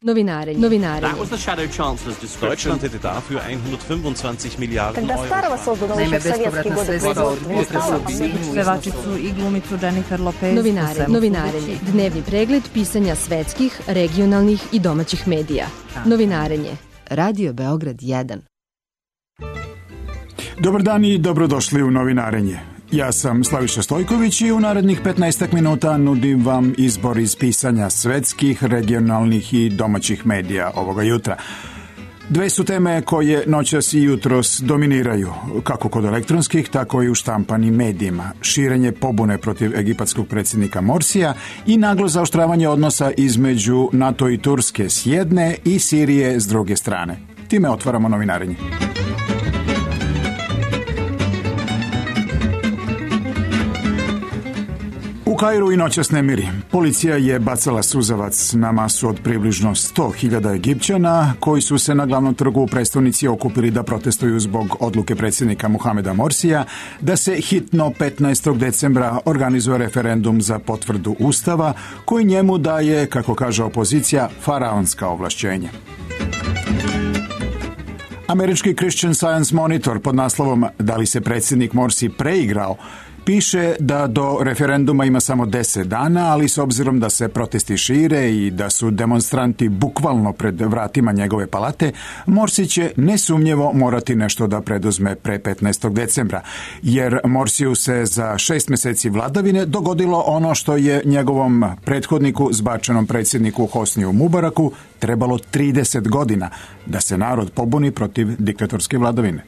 Novinarenje. That was the Shadow Chancellor's description. Deutschland hätte dafür 125 Milijarden Когда Старого создано еще в советские годы Pevačicu i glumicu Jennifer Lopez. Novinarenje. Dnevni pregled pisanja svetskih, regionalnih i domaćih medija. Novinarenje. Radio Beograd 1. Dobar dan i dobrodošli u Novinarenje. Ja sam Slaviša Stojković i u narednih 15 minuta nudim vam izbor iz pisanja svetskih, regionalnih i domaćih medija ovoga jutra. Dve su teme koje noćas i jutros dominiraju, kako kod elektronskih, tako i u štampanim medijima. Širenje pobune protiv egipatskog predsjednika Morsija i naglo zaoštravanje odnosa između NATO i Turske s jedne i Sirije s druge strane. Time otvaramo Novinarenje. U Kairu i noćas nemiri. Policija je bacala suzavac na masu od približno 100.000 Egipćana koji su se na glavnom trgu u prestonici okupili da protestuju zbog odluke predsjednika Mohameda Morsija da se hitno 15. decembra organizuje referendum za potvrdu Ustava koji njemu daje, kako kaže opozicija, faraonska ovlašćenja. Američki Christian Science Monitor pod naslovom "Da li se predsjednik Morsi preigrao?" piše da do referenduma ima samo 10 dana, ali s obzirom da se protesti šire i da su demonstranti bukvalno pred vratima njegove palate, Morsi će nesumnjivo morati nešto da preduzme pre 15. decembra, jer Morsiju se za 6 mjeseci vladavine dogodilo ono što je njegovom prethodniku, zbačenom predsjedniku Hosniju Mubaraku, trebalo 30 godina da se narod pobuni protiv diktatorske vladavine.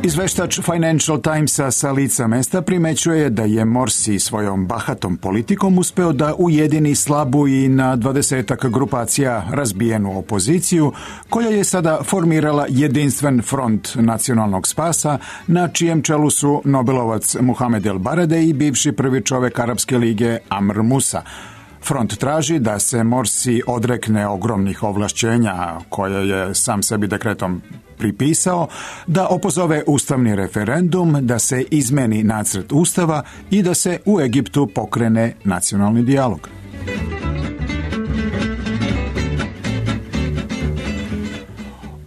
Izveštač Financial Timesa sa lica mesta primećuje da je Morsi svojom bahatom politikom uspeo da ujedini slabu i na 20-ak grupacija razbijenu opoziciju, koja je sada formirala jedinstven front nacionalnog spasa, na čijem čelu su Nobelovac Muhamed El Barade i bivši prvi čovjek Arapske lige Amr Musa. Front traži da se Morsi odrekne ogromnih ovlašćenja koje je sam sebi dekretom pripisao, da opozove ustavni referendum, da se izmeni nacrt ustava i da se u Egiptu pokrene nacionalni dijalog.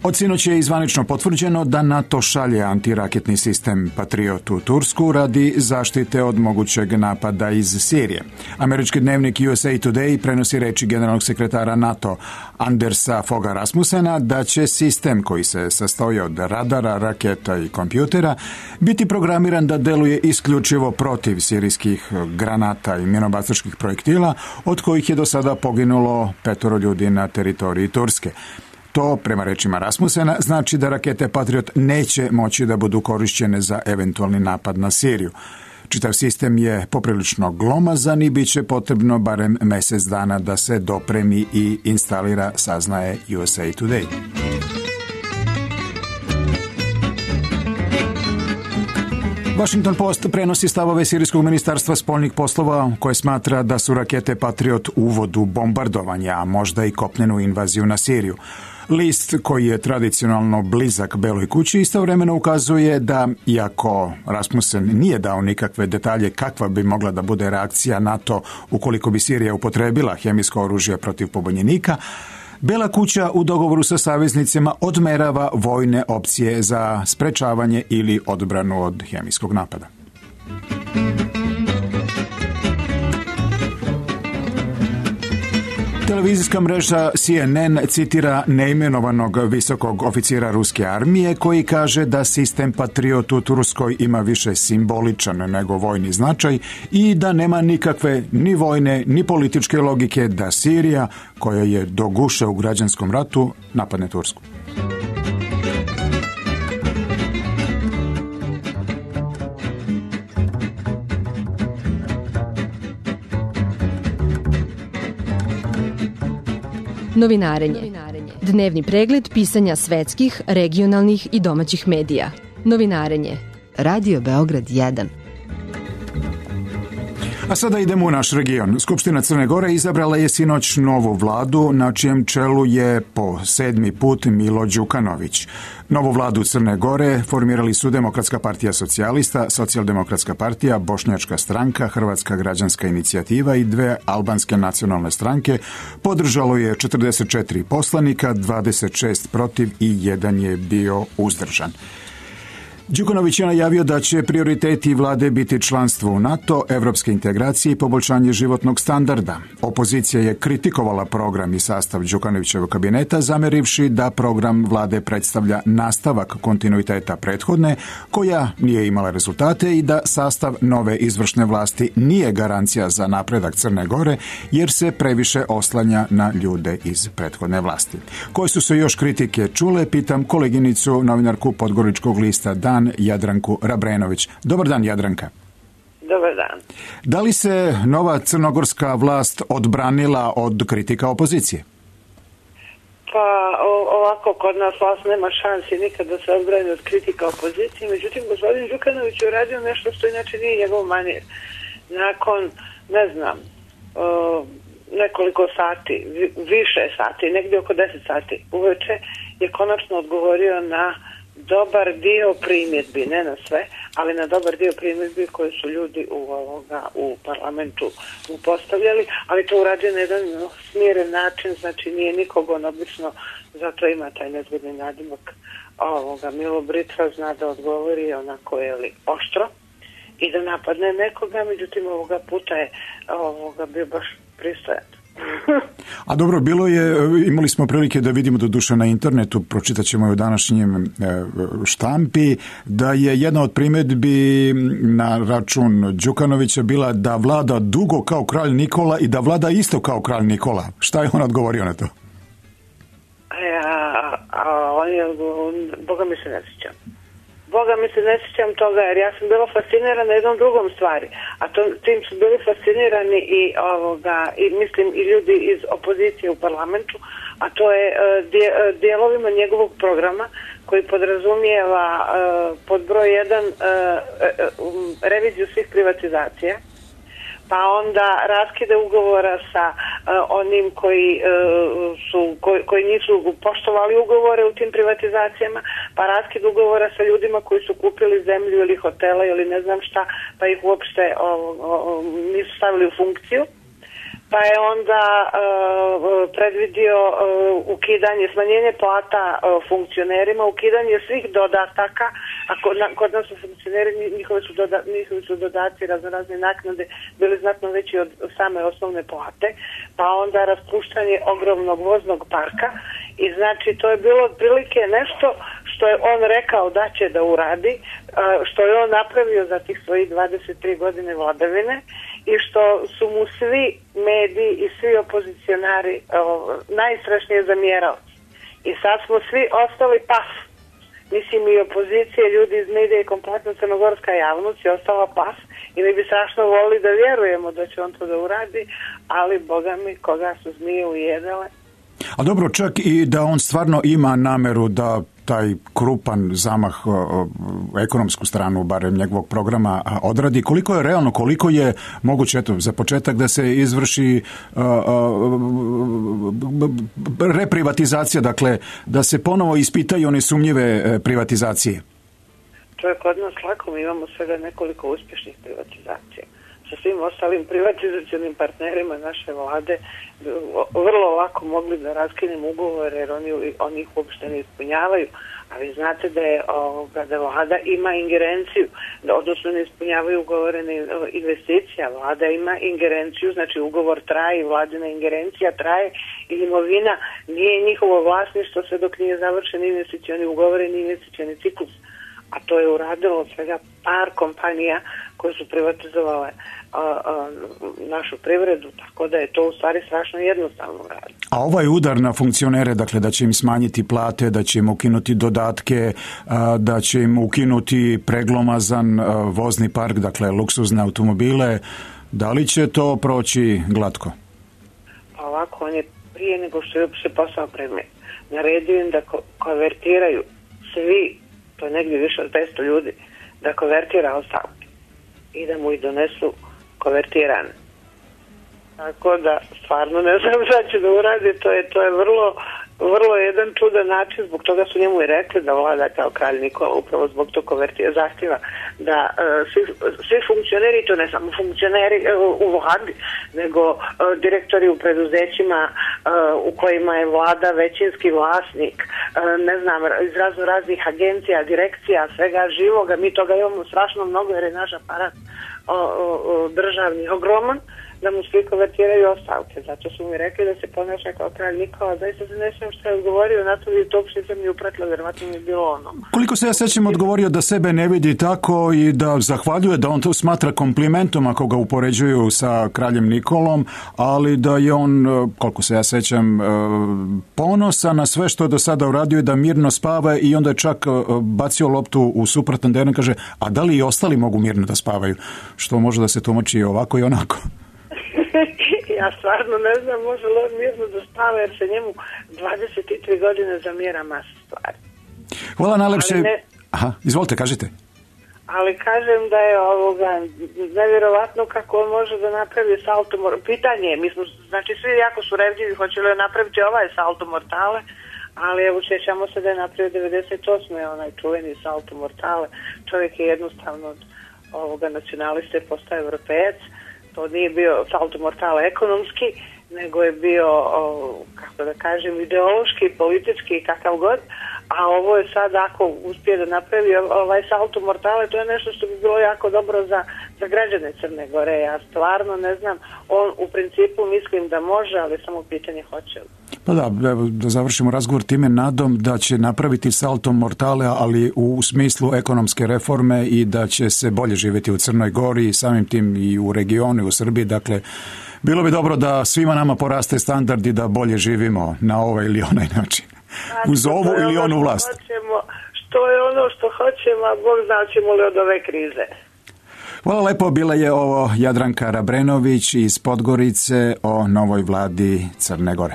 Od sinoć je zvanično potvrđeno da NATO šalje antiraketni sistem Patriot u Tursku radi zaštite od mogućeg napada iz Sirije. Američki dnevnik USA Today prenosi reči generalnog sekretara NATO Andersa Fogha Rasmussena da će sistem, koji se sastoji od radara, raketa i kompjutera, biti programiran da deluje isključivo protiv sirijskih granata i minobacačkih projektila, od kojih je do sada poginulo 5 ljudi na teritoriji Turske. To, prema rečima Rasmussena, znači da rakete Patriot neće moći da budu korišćene za eventualni napad na Siriju. Čitav sistem je poprilično glomazan i bit će potrebno barem mjesec dana da se dopremi i instalira, saznaje USA Today. Washington Post prenosi stavove sirijskog ministarstva spoljnih poslova, koje smatra da su rakete Patriot uvod u bombardovanje, a možda i kopnenu invaziju na Siriju. List, koji je tradicionalno blizak Beloj kući, istovremeno ukazuje da, iako Rasmussen nije dao nikakve detalje kakva bi mogla da bude reakcija NATO ukoliko bi Sirija upotrebila hemijsko oružje protiv pobunjenika, Bela kuća u dogovoru sa saveznicima odmerava vojne opcije za sprečavanje ili odbranu od hemijskog napada. Televizijska mreža CNN citira neimenovanog visokog oficira ruske armije koji kaže da sistem Patriot u Turskoj ima više simboličan nego vojni značaj i da nema nikakve ni vojne ni političke logike da Sirija, koja je do guše u građanskom ratu, napadne Tursku. Novinarenje. Dnevni pregled pisanja svetskih, regionalnih i domaćih medija. Novinarenje. Radio Beograd 1. A sada idemo u naš region. Skupština Crne Gore izabrala je sinoć novu vladu, na čijem čelu je po 7. put Milo Đukanović. Novu vladu Crne Gore formirali su Demokratska partija socijalista, Socijaldemokratska partija, Bošnjačka stranka, Hrvatska građanska inicijativa i dve albanske nacionalne stranke. Podržalo je 44 poslanika, 26 protiv i 1 je bio uzdržan. Đukanović je najavio da će prioriteti vlade biti članstvo u NATO, evropske integracije i poboljšanje životnog standarda. Opozicija je kritikovala program i sastav Đukanovićevog kabineta, zamerivši da program vlade predstavlja nastavak kontinuiteta prethodne, koja nije imala rezultate i da sastav nove izvršne vlasti nije garancija za napredak Crne Gore, jer se previše oslanja na ljude iz prethodne vlasti. Koje su se još kritike čule, pitam koleginicu, novinarku Podgoričkog lista Dan, Jadranku Rabrenović. Dobar dan, Jadranka. Dobar dan. Da li se nova crnogorska vlast odbranila od kritika opozicije? Pa ovako, kod nas vlast nema šansi nikad da se odbrani od kritika opozicije, međutim gospodin Đukanović je uradio nešto što inače nije njegov manir. Nakon, ne znam, nekoliko sati, više sati, negdje oko 10 sati uveče je konačno odgovorio na dobar dio primjedbi, ne na sve, ali na dobar dio primjedbi koje su ljudi u parlamentu mu postavljali, ali to uradio na jedan smiren način, znači nije nikog on obično, zato ima taj nezgodni nadimak Milo Britra, zna da odgovori onako oštro i da napadne nekoga, međutim ovoga puta je bio baš pristojan. A dobro, imali smo prilike da vidimo doduše na internetu, pročitat ćemo i u današnjem štampi, da je jedna od primjedbi na račun Đukanovića bila da vlada dugo kao kralj Nikola i da vlada isto kao kralj Nikola. Šta je on odgovorio na to? Boga mi se ne sjećam toga, jer ja sam bila fascinirana jednom drugom stvari, a tim su bili fascinirani i mislim i ljudi iz opozicije u parlamentu, a to je dijelovima njegovog programa koji podrazumijeva pod broj 1 reviziju svih privatizacija, pa onda raskide ugovora sa onim koji nisu poštovali ugovore u tim privatizacijama, pa raskid ugovora sa ljudima koji su kupili zemlju ili hotela ili ne znam šta, pa ih uopšte nisu stavili u funkciju. Pa je onda predvidio ukidanje, smanjenje plata funkcionerima, ukidanje svih dodataka, a kod nas su funkcioneri, njihovi su dodaci, razne naknade bili znatno veći od same osnovne plate, pa onda raspuštanje ogromnog voznog parka i znači to je bilo otprilike nešto što je on rekao da će da uradi, što je on napravio za tih svojih 23 godine vladavine i što su mu svi mediji i svi opozicionari najstrašnije zamjerali. I sad smo svi ostali paf. Mislim i opozicije, ljudi iz medija i kompletna crnogorska javnost je ostala paf i mi bi strašno volili da vjerujemo da će on to da uradi, ali boga mi koga su zmije ujedale. A dobro, čak i da on stvarno ima nameru da taj krupan zamah ekonomsku stranu, barem njegovog programa, odradi. Koliko je realno, koliko je moguće, za početak, da se izvrši reprivatizacija, dakle, da se ponovo ispitaju one sumnjive privatizacije? To je kod nas lako, mi imamo svega nekoliko uspješnih privatizacija. Sa svim ostalim privatizacionim partnerima naše vlade vrlo lako mogli da raskinemo ugovore jer oni ih uopšte ne ispunjavaju. A vi znate da vlada ima ingerenciju, odnosno ne ispunjavaju ugovorene investicija. Vlada ima ingerenciju, znači ugovor traje i vladina ingerencija traje i imovina nije njihovo vlasništvo sve dok nije završen investicioni ugovor i investicioni ciklus. A to je uradilo od svega par kompanija koje su privatizovale našu privredu, tako da je to u stvari strašno jednostavno raditi. A ovaj udar na funkcionere, dakle da će im smanjiti plate, da će im ukinuti dodatke, da će im ukinuti preglomazan vozni park, dakle luksuzne automobile, da li će to proći glatko? Pa ovako, on je prije nego što je se posao predmet naredio im da konvertiraju svi, to je negdje više od 500 ljudi, da konvertira ostavke i da mu ih donesu kovertirane. Tako da, stvarno ne znam šta će da uradi, to je vrlo jedan čudan način, zbog toga su njemu i rekli da vlada kao kralj Nikola, upravo zbog tog zahtjeva da svi funkcioneri, to ne samo funkcioneri u vladi, nego direktori u preduzećima u kojima je vlada većinski vlasnik, ne znam, iz raznih agencija, direkcija, svega živoga, mi toga imamo strašno mnogo jer je naš aparat državni ogroman, da mu svi konvertiraju ostavke. Zato su mi rekli da se ponaša kao kralj Nikola. Zaista se ne znam što je odgovorio na to i to uopšte sam mi upratila, vjerovatno mi je bilo ono. Koliko se ja sećam, odgovorio da sebe ne vidi tako i da zahvaljuje, da on to smatra komplimentom ako ga upoređuju sa kraljem Nikolom, ali da je on, koliko se ja sećam, ponosan na sve što je do sada uradio i da mirno spava i onda je čak bacio loptu u suprotan teren, kaže, a da li i ostali mogu mirno da spavaju? Što može da se tumači ovako i onako. Ja stvarno ne znam, može li on mirno da spava jer se njemu 23 godine zamjera masa stvari. Hvala najlepše. Aha, izvolite, kažite. Ali kažem da je nevjerovatno kako on može da napravi salto mortale. Pitanje je, znači svi jako su revljivi, hoće li napraviti ovaj salto mortale, ali evo sjećamo se da je napravio 98. onaj čuveni salto mortale. Čovjek je jednostavno od nacionaliste postao europejac. To nije bio salto mortale ekonomski, nego je bio, kako da kažem, ideološki, politički, kakav god, a ovo je sad, ako uspije da napravi ovaj salto mortale, to je nešto što bi bilo jako dobro za građane Crne Gore. Ja stvarno ne znam, on u principu mislim da može, ali samo pitanje hoće li. Pa da završimo razgovor time nadom da će napraviti salto mortale, ali u smislu ekonomske reforme i da će se bolje živjeti u Crnoj Gori i samim tim i u regionu i u Srbiji. Dakle, bilo bi dobro da svima nama poraste standard i da bolje živimo na ovaj ili onaj način. Uz ovu ili onu vlast. Što je ono što hoćemo, a Bog zna ćemo li od ove krize. Hvala lepo, bila je ovo Jadranka Rabrenović iz Podgorice o novoj vladi Crne Gore.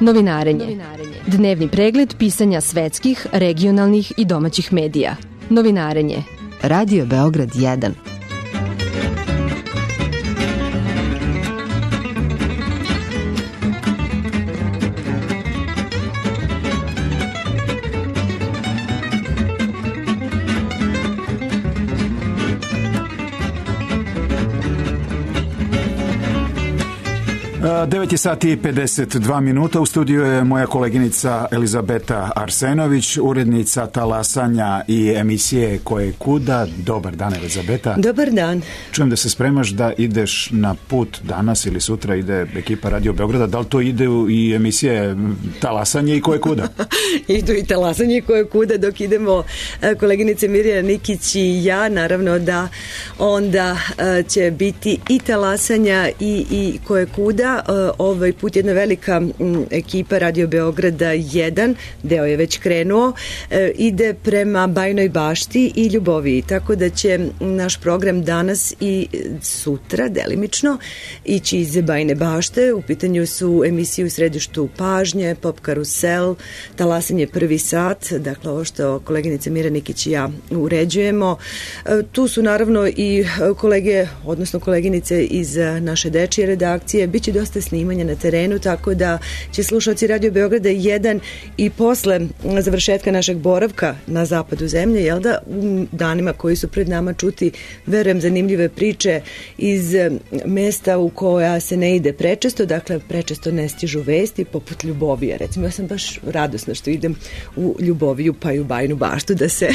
Novinarenje. Dnevni pregled pisanja svetskih, regionalnih i domaćih medija. Novinarenje. Radio Beograd 1. Devet je sati i 52 minuta. U studiju je moja koleginica Elizabeta Arsenović, urednica talasanja i emisije Koje kuda. Dobar dan, Elizabeta. Dobar dan. Čujem da se spremaš da ideš na put danas ili sutra, ide ekipa Radio Beograda. Da li to ide i emisije talasanje i Koje kuda? Idu i talasanje i Koje kuda dok idemo koleginice Mirjana Nikić i ja. Naravno da onda će biti i talasanja i Koje kuda. Ovaj put jedna velika ekipa Radio Beograda 1, deo je već krenuo, ide prema Bajnoj Bašti i Ljuboviji, tako da će naš program danas i sutra delimično ići iz Bajne Bašte. U pitanju su emisije u središtu pažnje, Pop karusel, talasanje prvi sat, dakle ovo što koleginice Mira Nikić i ja uređujemo. Tu su naravno i kolege, odnosno koleginice iz naše dečije redakcije. Biće dosta snimanja na terenu, tako da će slušalci Radio Beograda 1 i posle završetka našeg boravka na zapadu zemlje, jel da, u danima koji su pred nama čuti, verujem, zanimljive priče iz mesta u koja se ne ide prečesto, dakle prečesto ne stižu vesti, poput Ljubovije. Recimo, ja sam baš radosna što idem u Ljuboviju pa i u Bajnu Baštu, da se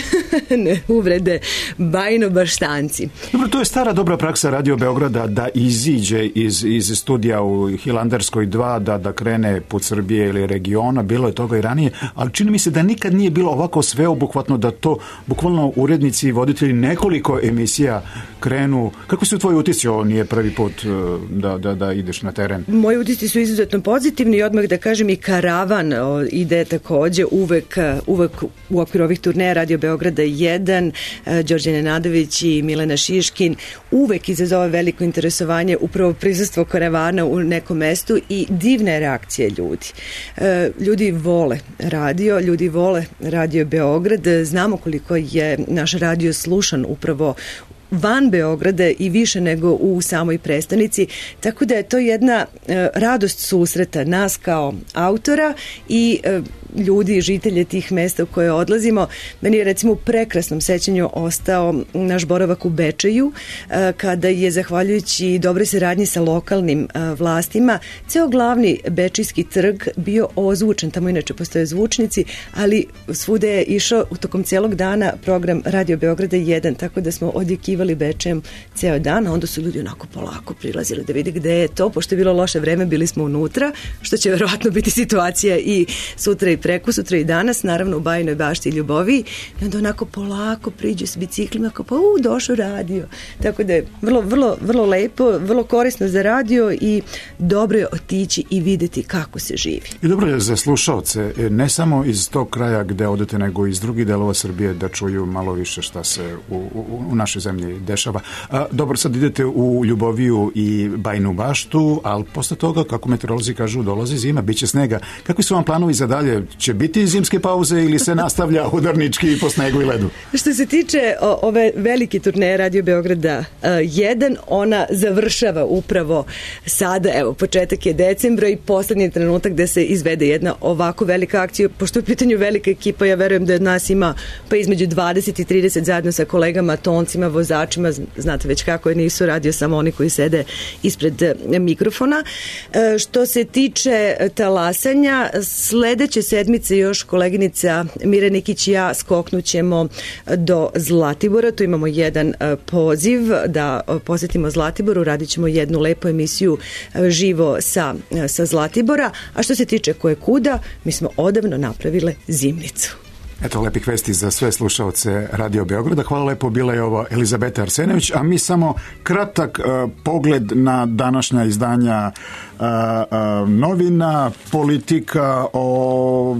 ne uvrede Bajnobaštanci. Dobro, to je stara dobra praksa Radio Beograda da iziđe iz studija u Hilandarskoj 2, da krene put Srbije ili regiona, bilo je toga i ranije, ali čini mi se da nikad nije bilo ovako sveobuhvatno, da to bukvalno urednici i voditelji nekoliko emisija krenu. Kako su tvoji utisci? Ovo nije prvi put da ideš na teren. Moji utisci su izuzetno pozitivni i odmah da kažem i karavan ide takođe uvek u okviru ovih turneja Radio Beograda 1, Đorđe Nenadović i Milena Šiškin uvek izazove veliko interesovanje, upravo prisustvo karavana u nekom nekom mestu i divna je reakcija ljudi. Ljudi vole radio, ljudi vole Radio Beograd, znamo koliko je naš radio slušan upravo van Beograda i više nego u samoj prestonici, tako da je to jedna radost susreta nas kao autora i ljudi, žitelje tih mesta u koje odlazimo. Meni je recimo u prekrasnom sećanju ostao naš boravak u Bečeju, kada je zahvaljujući dobroj saradnji sa lokalnim vlastima ceo glavni bečijski trg bio ozvučen, tamo inače postoje zvučnici, ali svude je išao u tokom celog dana program Radio Beograda 1, tako da smo odjekivali Bečejem ceo dan, a onda su ljudi onako polako prilazili da vide gde je to, pošto je bilo loše vreme, bili smo unutra, što će verovatno biti situacija i sutra i prekosutra i danas, naravno u Bajinoj Bašti i Ljuboviji, i onda onako polako priđu s biciklima, kao pa došao radio. Tako da je vrlo lepo, vrlo korisno za radio i dobro je otići i videti kako se živi. I dobro je za slušaoce, ne samo iz tog kraja gde odete, nego iz drugih delova Srbije da čuju malo više šta se u našoj zemlji dešava. Dobro, sad idete u Ljuboviju i Bajinu Baštu, ali posle toga, kako meteorolozi kažu, dolazi zima, bit će snega. Kakvi su vam planovi za dalje? Će biti zimske pauze ili se nastavlja udarnički po snegu i ledu? Što se tiče ove velike turneje Radio Beograda 1, ona završava upravo sada, evo, početak je decembra i poslednji trenutak da se izvede jedna ovako velika akcija. Pošto je u pitanju velika ekipa, ja verujem da od nas ima pa između 20 i 30 zajedno sa kolegama, toncima, vozačima, znate već kako je, nisu radio samo oni koji sede ispred mikrofona. Što se tiče talasanja, sledeće sedmice još koleginica Mira Nikić i ja skoknućemo do Zlatibora, tu imamo jedan poziv da posetimo Zlatibor, radit ćemo jednu lepu emisiju živo sa Zlatibora, a što se tiče koje kuda, mi smo odavno napravile zimnicu. Eto, lepih vesti za sve slušaoce Radio Beograda. Hvala lepo, bila je ovo Elizabeta Arsenović, a mi samo kratak pogled na današnja izdanja novina, Politika o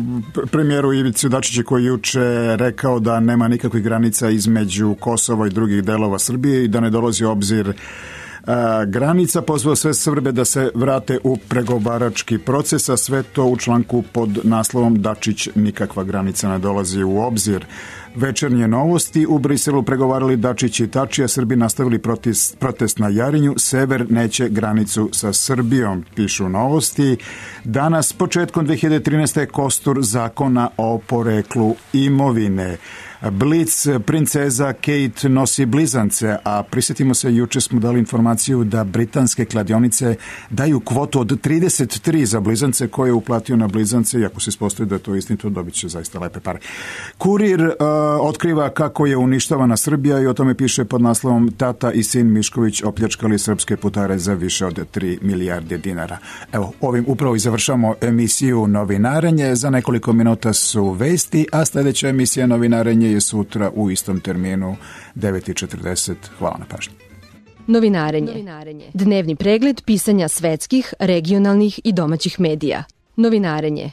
premijeru Ivici Dačiću koji juče rekao da nema nikakvih granica između Kosova i drugih delova Srbije i da ne dolazi u obzir granica, pozvao sve Srbe da se vrate u pregovarački proces, a sve to u članku pod naslovom Dačić nikakva granica ne dolazi u obzir. Večernje novosti, u Briselu pregovarali Dačić i Tači, Srbi nastavili protest na Jarinju, Sever neće granicu sa Srbijom, pišu novosti. Danas, početkom 2013. kostur zakona o poreklu imovine. Blic, princeza Kate nosi blizance, a prisjetimo se, juče smo dali informaciju da britanske kladionice daju kvotu od 33 za blizance koje je uplatio na blizance i ako se ispostavi da je to istinito, dobit će zaista lepe pare. Kurir otkriva kako je uništavana Srbija i o tome piše pod naslovom Tata i sin Mišković opljačkali srpske putare za više od 3 milijarde dinara. Evo, ovim upravo i završamo emisiju Novinarenje. Za nekoliko minuta su vesti, a sljedeća emisija Novinarenje je sutra u istom terminu 9:40. Hvala na pažnji. Novinarenje. Dnevni pregled pisanja svetskih, regionalnih i domaćih medija. Novinarenje.